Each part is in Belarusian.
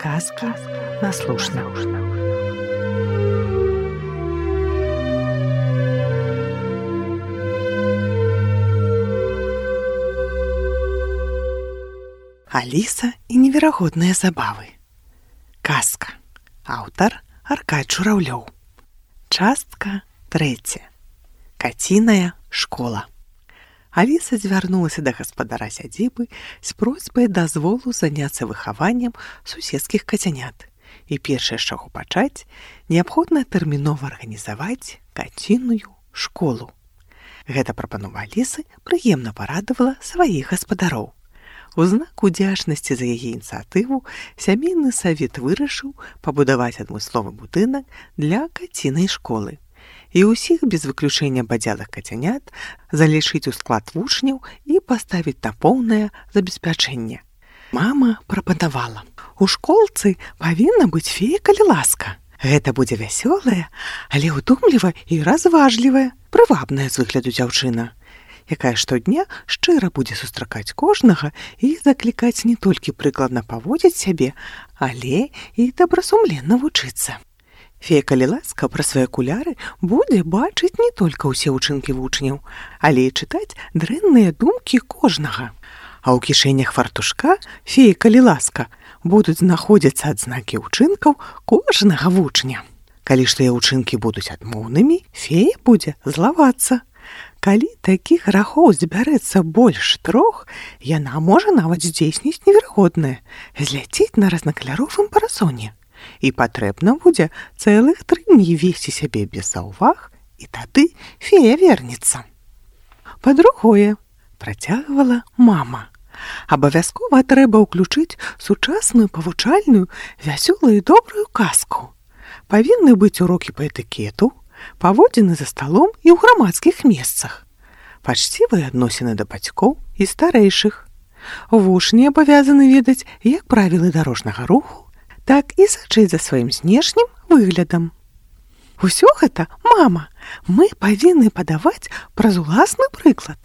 Сказки на слушно. Аліса і неверагодныя забавы. Казка. Аўтар Аркадь Журавлёў. Частка 3. Каціная школа. Аліса звярнулася да гаспадара сядзібы з просьбай дазволу заняцца выхаваннем суседскіх кацянят. І першае, з чаго пачаць, неабходна тэрмінова арганізаваць каціную школу. Гэта прапанова Алісы прыемна парадавала сваіх гаспадароў. У знак удзячнасці за яе ініцыятыву сямейны савет вырашыў пабудаваць адмысловы будынак для кацінай школы. І ўсіх без выключэння бадзялых кацянят залічыць у склад вучняў і паставіць на поўнае забеспячэнне. Мама прапанавала: у школцы павінна быць фея, калі ласка. Гэта будзе вясёлая, але ўдумлівая і разважлівая, прывабная з выгляду дзяўчына, якая штодня шчыра будзе сустракаць кожнага і заклікаць не толькі прыкладна паводзіць сябе, але і добрасумленна вучыцца. Фея, калі ласка, пра свае акуляры будзе бачыць не толькі ўсе ўчынкі вучняў, але і чытаць дрэнныя думкі кожнага. А ў кішэнях фартушка фея, калі ласка, будуць знаходзіцца адзнакі ўчынкаў кожнага вучня. Калі ж тыя ўчынкі будуць адмоўнымі, фея будзе злавацца. Калі такіх грахоў збярэцца больш 3, яна можа нават здзейсніць неверагоднае – зляцець на разнакаляровым парасоне. І патрэбна будзе цэлых 3 дні весці сябе без заўваг, і тады фея вернецца. Па-другое, працягвала мама, абавязкова трэба ўключыць сучасную павучальную, вясёлую і добрую казку. Павінны быць урокі па этыкету, паводзіны за сталом і ў грамадскіх месцах, пачцівыя адносіны да бацькоў і старэйшых. Вучні абавязаны ведаць як правілы дарожнага руху, так і сачыць за сваім знешнім выглядам. Усё гэта, мама, мы павінны падаваць праз уласны прыклад,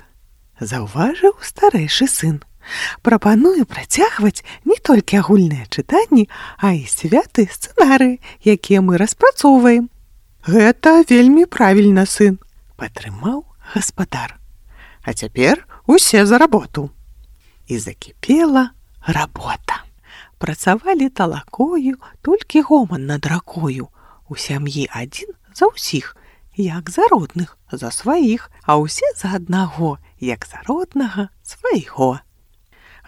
заўважыў старэйшы сын. Прапаную працягваць не толькі агульныя чытанні, а і святы сцэнарыі, якія мы распрацоўваем. Гэта вельмі правільна, сын, падтрымаў гаспадар. А цяпер усе за работу. І закіпела работа. Працавалі талакою, толькі гоман над ракою. У сям'і адзін за ўсіх, як за родных, за сваіх, а ўсе за аднаго, як за роднага, свайго.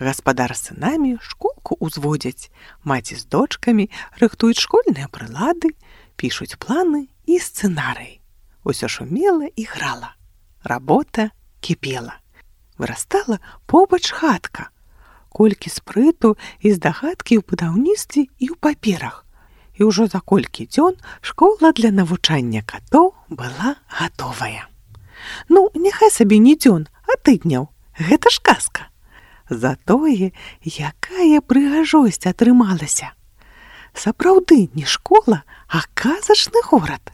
Гаспадар з сынамі школку ўзводзяць, маці з дочкамі рыхтуюць школьныя прылады, пішуць планы і сцэнарыі. Усё шумела і грала. Работа кіпела. Вырастала побач хатка. Колькі спрыту і здагадкі ў будаўніцтве і ў паперах. І ўжо за колькі дзён школа для навучання катоў была гатовая. Ну, няхай сабе не дзён, а тыдняў. Гэта ж казка. Затое, якая прыгажосць атрымалася. Сапраўды не школа, а казачны горад.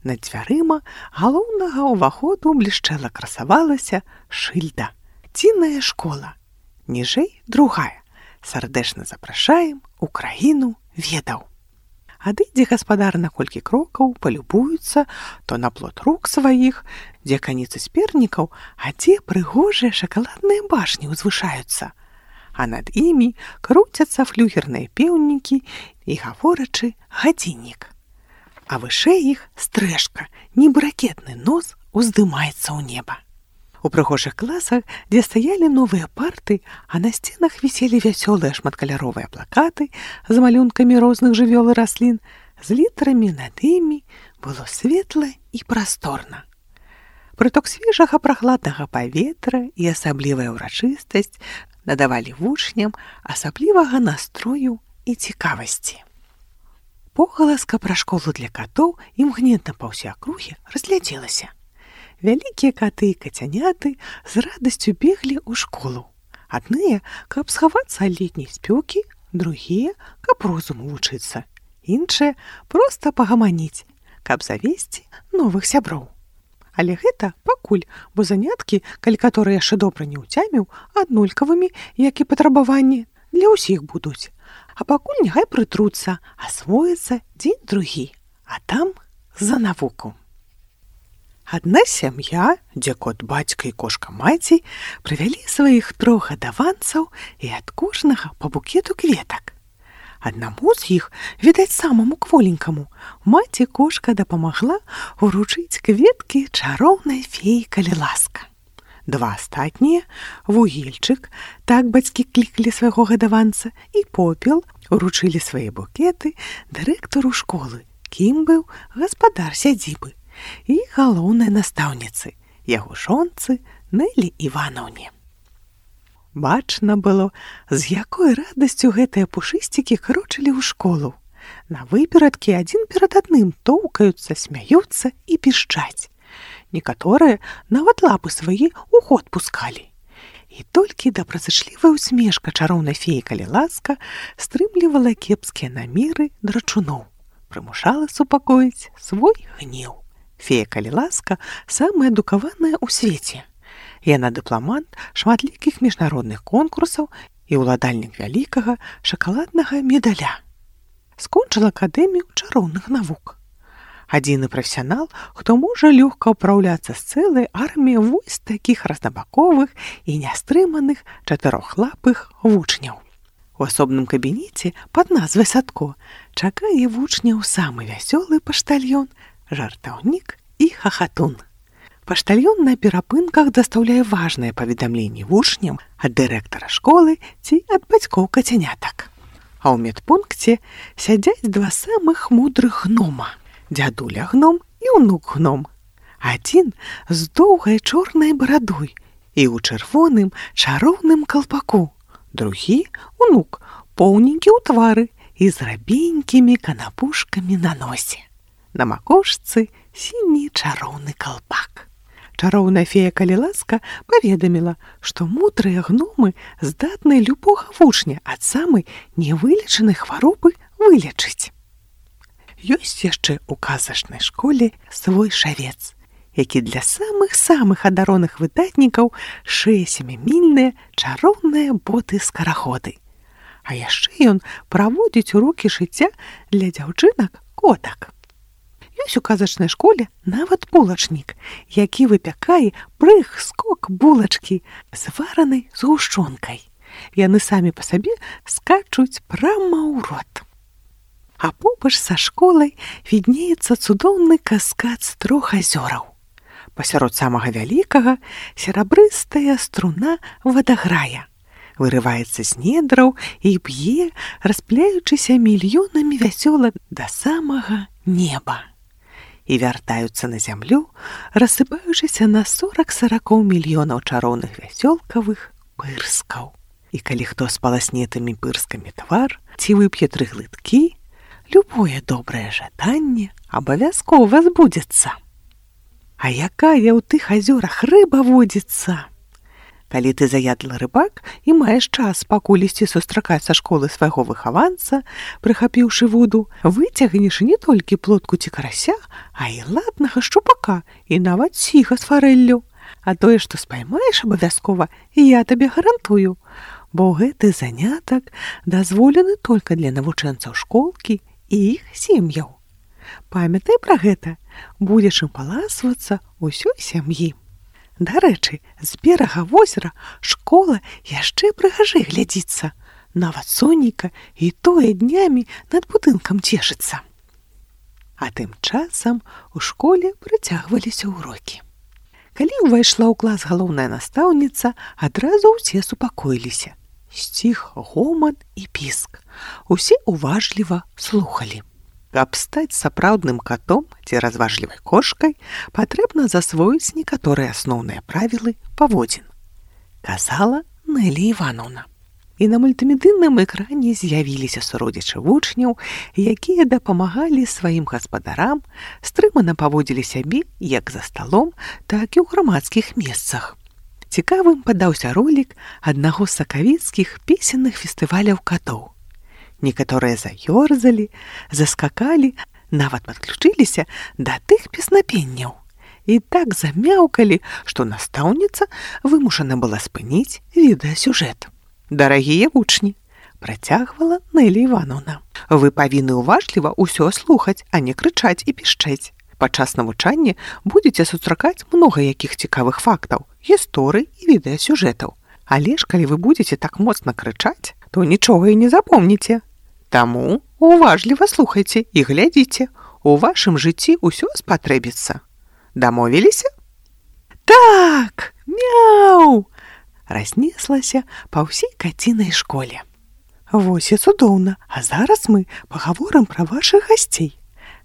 Над дзвярыма галоўнага ўваходу блішчэла красавалася шыльда. Каціная школа. Ніжэй другая. Сардэчна запрашаем у краіну ведаў. Адыдзе гаспадар на колькі крокаў, палюбуюцца то на плот рук сваіх, дзе каніцы спернікаў, а дзе прыгожыя шакаладныя башні ўзвышаюцца. А над імі круцяцца флюгерныя пеўнікі і гаворачы гадзіннік. А вышэй іх стрэшка, нібы ракетны нос уздымаецца ў неба. У прыгожых класах, дзе стаялі новыя парты, а на сценах віселі вясёлыя шматкаляровыя плакаты з малюнкамі розных жывёл і раслін, з літарамі над імі было светла і прасторна. Прыток свежага прахладнага паветра і асаблівая ўрачыстасць надавалі вучням асаблівага настрою і цікавасці. Погаласка пра школу для катоў імгненна па ўсёй акруге разлядзелася. Вялікія каты і кацяняты з радасцю беглі ў школу. Адныя, каб схавацца ад летняй спёкі, другія, каб розуму вучыцца, іншыя проста пагаманіць, каб завесці новых сяброў. Але гэта пакуль, бо заняткі, калі каторы яшчэ добра не ўцяміў, аднолькавымі, як і патрабаванні, для ўсіх будуць. А пакуль няхай прытруцца, асвоіцца дзень-другі, а там за навуку. Адна сям'я, дзе кот бацька і кошка маці, прывялі сваіх 3 гадаванцаў і ад кожнага па букету кветак. Аднаму з іх, відаць, самаму кволенькаму, маці-кошка дапамагла уручыць кветкі чароўнай феі Каліласка. 2 астатнія, Вугільчык, так бацькі клікалі свайго гадаванца, і Попел уручылі свае букеты дырэктару школы, кім быў гаспадар сядзібы, і галоўнай настаўніцы, яго жонцы Нэлі Іванаўне. Бачна было, з якой радасцю гэтыя пушысцікі крочылі ў школу. На выперадкі адзін перад адным тоўкаюцца, смяюцца і пішчаць. Некаторыя нават лапы свае ў ход пускалі. І толькі добразычлівая усмешка чароўнай феі Каліласка стрымлівала кепскія намеры драчуноў, прымушала супакоіць свой гнеў. Фея Каліласка самая адукаваная ў свеце. Яна дыпламант шматлікіх міжнародных конкурсаў і ўладальнік вялікага шакаладнага медаля. Скончыла акадэмію чароўных навук. Адзіны прафесіянал, хто можа лёгка ўпраўляцца з цэлай арміяй вось такіх разнабаковых і нястрыманых 4лапых вучняў. У асобным кабінеце пад назвай Садко чакае вучняў самы вясёлы паштальён, жартаўнік і хахатун. Паштальён на перапынках дастаўляе важныя паведамленні вучням ад дырэктара школы ці ад бацькоў кацянятак. А ў медпункце сядзяць 2 самых мудрых гнома, дзядуля гном і ўнук гном. Адзін з доўгай чорнай барадой і ў чырвоным чароўным калпаку, другі ўнук поўненькі ў твары і з рабенькімі канапушкамі на носе. На макушцы сіні чароўны калпак. Чароўная фея Каліласка паведаміла, што мудрыя гномы здатны любога вучня ад самай невылечанай хваробы вылечыць. Ёсць яшчэ ў казачнай школе свой шавец, які для самых-самых адароных выдатнікаў шые сямімільныя чароўныя боты-скараходы. А яшчэ ён праводзіць урокі шыцця для дзяўчынак-котак. Ёсць у казачнай школе нават булачнік, які выпякае прыг-скок булачкі з варанай згушчонкай. Яны самі па сабе скачуць прама ў рот. А побач са школай віднеецца цудоўны каскад з 3 азёраў. Пасярод самага вялікага серабрыстая струна вадаграя. Вырываецца з недраў і б'е, распляючыся мільёнамі вясёлак да самага неба. І вяртаюцца на зямлю, рассыпаючыся на 40 мільёнаў чароўных вясёлкавых пырскаў. І калі хто з паласнетымі пырскамі твар ці вып'е 3 глыткі, любое добрае жаданне абавязкова збудзецца. А якая ў тых азёрах рыба водзіцца? Калі ты заядлы рыбак і маеш час пакуль ісці сустракаць са школы свайго выхаванца, прыхапіўшы воду, выцягнеш не толькі плотку ці карася, а і ладнага шчупака і нават сіга з фарэллю. А тое, што спаймаеш абавязкова, я табе гарантую, бо гэты занятак дазволены толькі для навучэнцаў школкі і іх сем'яў. Памятай пра гэта, будзеш ім паласвацца ўсёй сям'і. Дарэчы, з берага возера школа яшчэ прыгажэй глядзіцца. Нават сонейка і тое днямі над будынкам цешыцца. А тым часам у школе працягваліся ўрокі. Калі ўвайшла ў клас галоўная настаўніца, адразу ўсе супакоіліся. Сціх гоман і піск. Усе уважліва слухалі. Каб стаць сапраўдным катом ці разважлівай кошкай, патрэбна засвоіць некаторыя асноўныя правілы паводзін, казала Нэлі Іванаўна. І на мультымедыйным экране з'явіліся суродзічы вучняў, якія дапамагалі сваім гаспадарам, стрымана паводзілі сябе як за сталом, так і ў грамадскіх месцах. Цікавым падаўся ролік аднаго з сакавіцкіх песенных фестываляў катоў. Некаторыя заёрзалі, заскакалі, нават падключыліся да тых песнапенняў. І так замяўкалі, што настаўніца вымушана была спыніць відэасюжэт. Дарагія вучні, працягвала Нэлі Івановна. Вы павінны уважліва ўсё слухаць, а не крычаць і пішчэць. Падчас навучання будзеце сустракаць многа якіх цікавых фактаў, гісторый і відэасюжэтаў. Але ж калі вы будзеце так моцна крычаць, то нічога і не запомніце. Таму уважліва слухайце і глядзіце. У вашым жыцці ўсё спатрэбіцца. Дамовіліся? Так! Мяу! Разнеслася па ўсей кацінай школе. Вось і цудоўна, а зараз мы пагаворым пра вашых гасцей.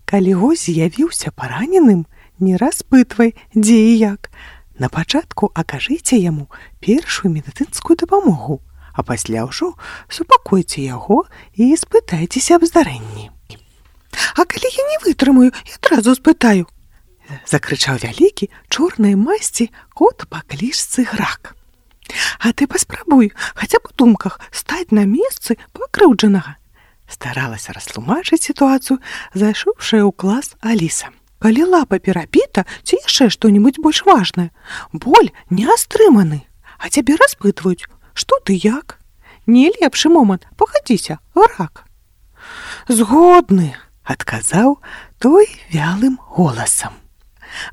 Калі госць з'явіўся параненым, не распытвай, дзе і як. На пачатку акажыце яму першую медыцынскую дапамогу, а пасля ўжо супакойце яго і спытайцеся аб здарэнні. А калі я не вытрымаю, я адразу спытаю, закрычаў вялікі чорнай масці кот па клічцы Грак. А ты паспрабуй, хаця б у думках, стаць на месцы пакрыўджанага. Старалася растлумачыць сітуацыю, зайшоўшая ў клас Аліса. Калі лапа перабіта, ці яшчэ што-небудзь больш важнае, боль не астрыманы, а цябе распытваюць, што ты як? Не лепшы момант, пагадзіся, Грак. Згодны, адказаў той вялым голасам.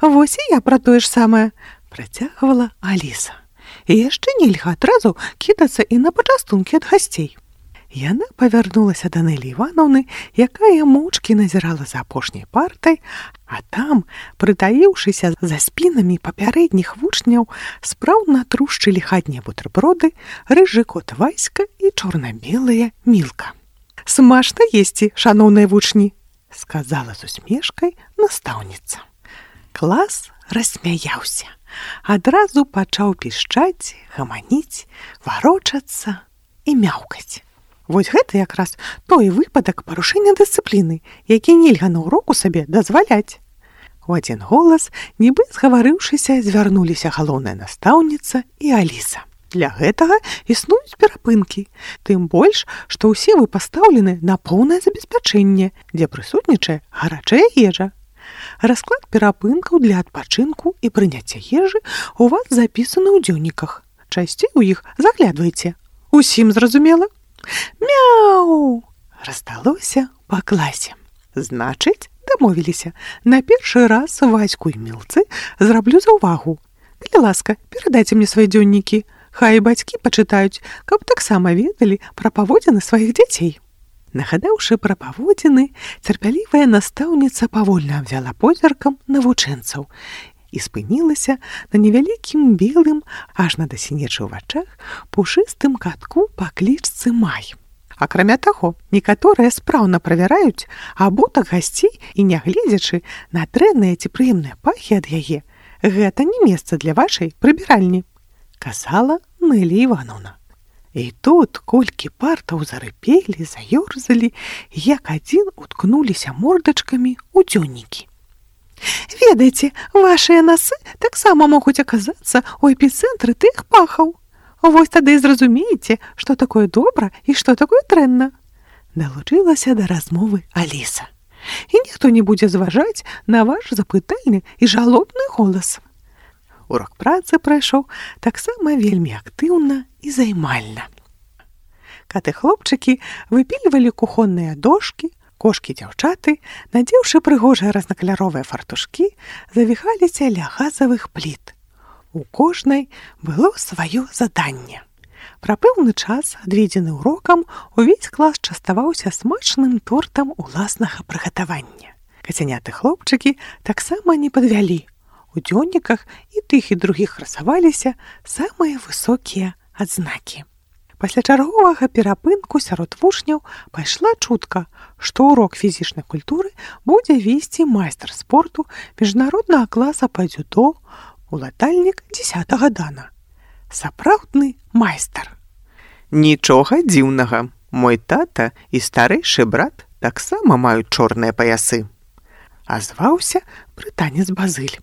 Вось і я пра тое ж самае, працягвала Аліса. І яшчэ нельга адразу кідацца і на пачастункі ад гасцей. Яна павярнулася да Нэлі Івановны, якая моўчкі назірала за апошняй партай, а там, прытаіўшыся за спінамі папярэдніх вучняў, спраўна трушчылі хатнія бутэрброды, рыжы кот Васька і чорна-белая Мілка. «Смачна есці, шаноўныя вучні!» – сказала з усмешкай настаўніца. Клас рассмяяўся. Адразу пачаў пішчаць, гаманіць, варочацца і мяўкаць. Вось гэта якраз той выпадак парушэння дысцыпліны, які нельга на ўроку сабе дазваляць. У адзін голас, нібы згаварыўшыся, звярнуліся галоўная настаўніца і Аліса. Для гэтага існуюць перапынкі, тым больш, што ўсе вы пастаўлены на поўнае забеспячэнне, дзе прысутнічае гарачая ежа. Расклад перапынкаў для адпачынку і прыняцця ежы у вас запісаны ў дзённіках. Часцей у іх заглядвайце. Усім зразумела? Мяу! Раздалося па класе. Значыць, дамовіліся. На першы раз Ваську і Мілцы зраблю заўвагу. Калі ласка, перадайце мне свае дзённікі. Хай бацькі пачытаюць, каб таксама ведалі пра паводзіны сваіх дзяцей. Нагадаўшы пра паводзіны, цярпялівая настаўніца павольна абвяла позіркам навучэнцаў і спынілася на невялікім белым, аж на дасінечы ў вачах, пушыстым катку па клічцы Май. Акрамя таго, некаторыя спраўна правяраюць абутак гасцей і, нягледзячы на дрэнныя ці прыемныя пахі ад яе, гэта не месца для вашай прыбіральні, казала Нэлі Івановна. І тут колькі партаў зарыпелі, заёрзалі, як адзін уткнуліся мордачкамі ў дзённікі. Ведаеце, вашыя насы таксама могуць аказацца ў эпіцэнтры тых пахаў. Вось тады і зразумееце, што такое добра і што такое дрэнна. Далучылася да размовы Аліса. І ніхто не будзе зважаць на ваш запытальны і жалобны голас. Урок працы прайшоў таксама вельмі актыўна і займальна. Каты-хлопчыкі выпільвалі кухонныя дошкі, кошкі-дзяўчаты, надзеўшы прыгожыя разнакаляровыя фартушкі, завіхаліся ля газавых пліт. У кожнай было сваё заданне. Пра пэўны час, адведзены урокам, увесь клас частаваўся смачным тортам уласнага прыгатавання. Кацяняты-хлопчыкі таксама не падвялі. У дзённіках і тых, і другіх красаваліся самыя высокія адзнакі. Пасля чарговага перапынку сярод вучняў пайшла чутка, што урок фізічнай культуры будзе весці майстар спорту міжнароднага класа па дзюдо, уладальнік 10-га дана. Сапраўдны майстар. Нічога дзіўнага. Мой тата і старэйшы брат таксама маюць чорныя паясы. Азваўся брытанец Базыль.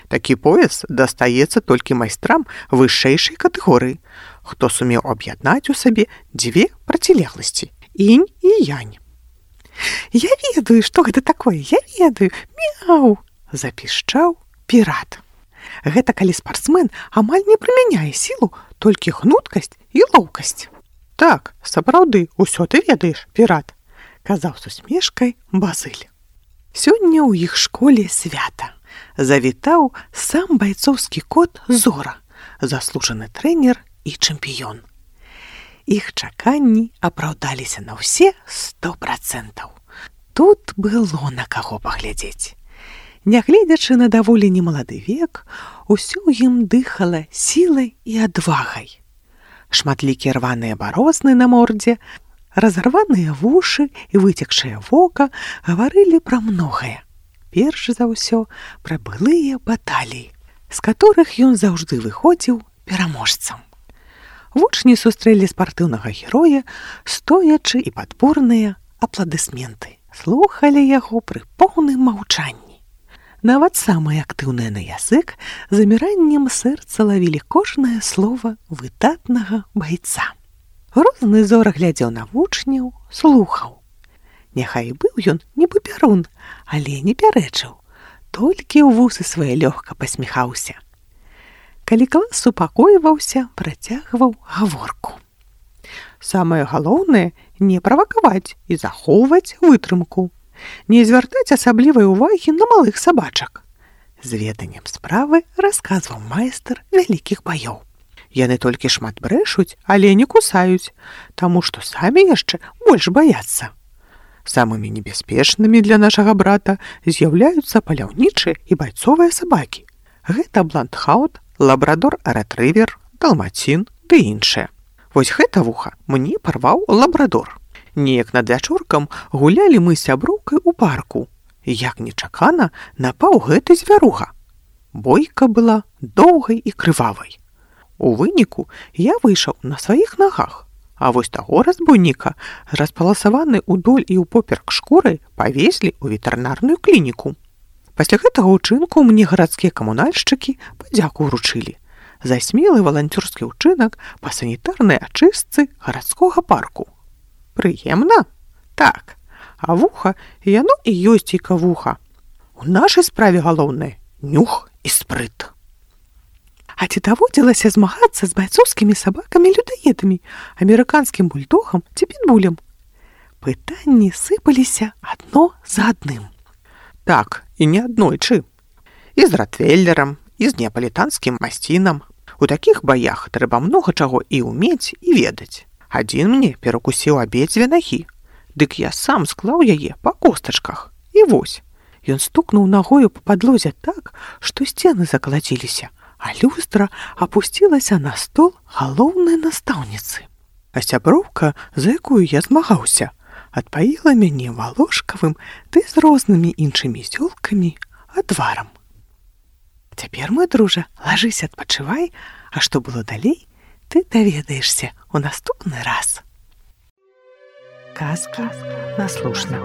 Такі пояс дастаецца толькі майстрам вышэйшай катэгорыі, хто сумеў аб'яднаць у сабе дзве процілегласці – інь і янь. «Я ведаю, што гэта такое, я ведаю, мяу!» – запішчаў пірат. Гэта калі спартсмен амаль не прымяняе сілу, толькі гнуткасць і лоўкасць. Так, сапраўды, усё ты ведаеш, пірат, казаў з усмешкай Базыль. Сёння ў іх школе свята. Завітаў сам байцоўскі кот Зора, заслужаны трэнер і чэмпіён. Іх чаканні апраўдаліся на ўсе 100%. Тут было на каго паглядзець. Нягледзячы на даволі немалады век, усё ў ім дыхала сілай і адвагай. Шматлікія рваныя барозны на мордзе, разарваныя вушы і выцекшае вока гаварылі пра многае. Перш за ўсё пра былыя баталіі, з которых ён заўжды выходзіў пераможцам. Вучні сустрэлі спартыўнага героя, стоячы і падборныя апладысменты. Слухалі яго пры поўным маўчанні. Нават самыя актыўныя на язык заміраннем сэрца лавілі кожнае слова выдатнага байца. Розны Зора глядзеў на вучняў, слухаў. Няхай быў ён не папярун, але не пярэчыў, толькі ў вусы свае лёгка пасміхаўся. Калі клас супакойваўся, працягваў гаворку. Самае галоўнае не правакаваць і захоўваць вытрымку. Не звяртаць асаблівай увагі на малых сабачак. З веданнем справы расказваў майстар вялікіх баёў. Яны толькі шмат брэшуць, але не кусаюць, таму што самі яшчэ больш баяцца. Самымі небяспечнымі для нашага брата з'яўляюцца паляўнічыя і байцовыя сабакі. Гэта бландхаут, лабрадор-рэтрывер, далмацін ды іншыя. Вось гэта вуха мне парваў лабрадор. Неяк над вячоркам гулялі мы з сяброўкай у парку. Як нечакана напаў гэты звяруга. Бойка была доўгай і крывавай. У выніку я выйшаў на сваіх нагах, а вось таго разбойніка, распаласаваны ўдоль і ўпоперк шкурай, павезлі ў ветэрынарную клініку. Пасля гэтага ўчынку мне гарадскія камунальшчыкі падзяку ўручылі за смелы валанцёрскі ўчынак па санітарнай ачыстцы гарадскога парку. Прыемна? Так. А вуха, яно і ёсць іка вуха. У нашай справе галоўнае нюх і спрыт. А ці даводзілася змагацца з байцоўскімі сабакамі-людаедамі, амерыканскім бульдогам ці пітбулем? Пытанні сыпаліся адно за адным. Так, і не аднойчы. І з ротвейлерам, і з неапалітанскім масцінам. У такіх баях трэба многа чаго і ўмець, і ведаць. Адзін мне перакусіў абедзве нагі, дык я сам склаў яе па костачках. І вось, ён стукнуў нагою па падлозе так, што сцены закалаціліся, а люстра апусцілася на стол галоўнай настаўніцы. А сяброўка, за якую я змагаўся, адпаіла мяне валошкавым ды з рознымі іншымі зёлкамі адварам. Цяпер, мой дружа, лажыся, адпачывай, а што было далей, ты даведаешся у наступны раз. Казка наслушна.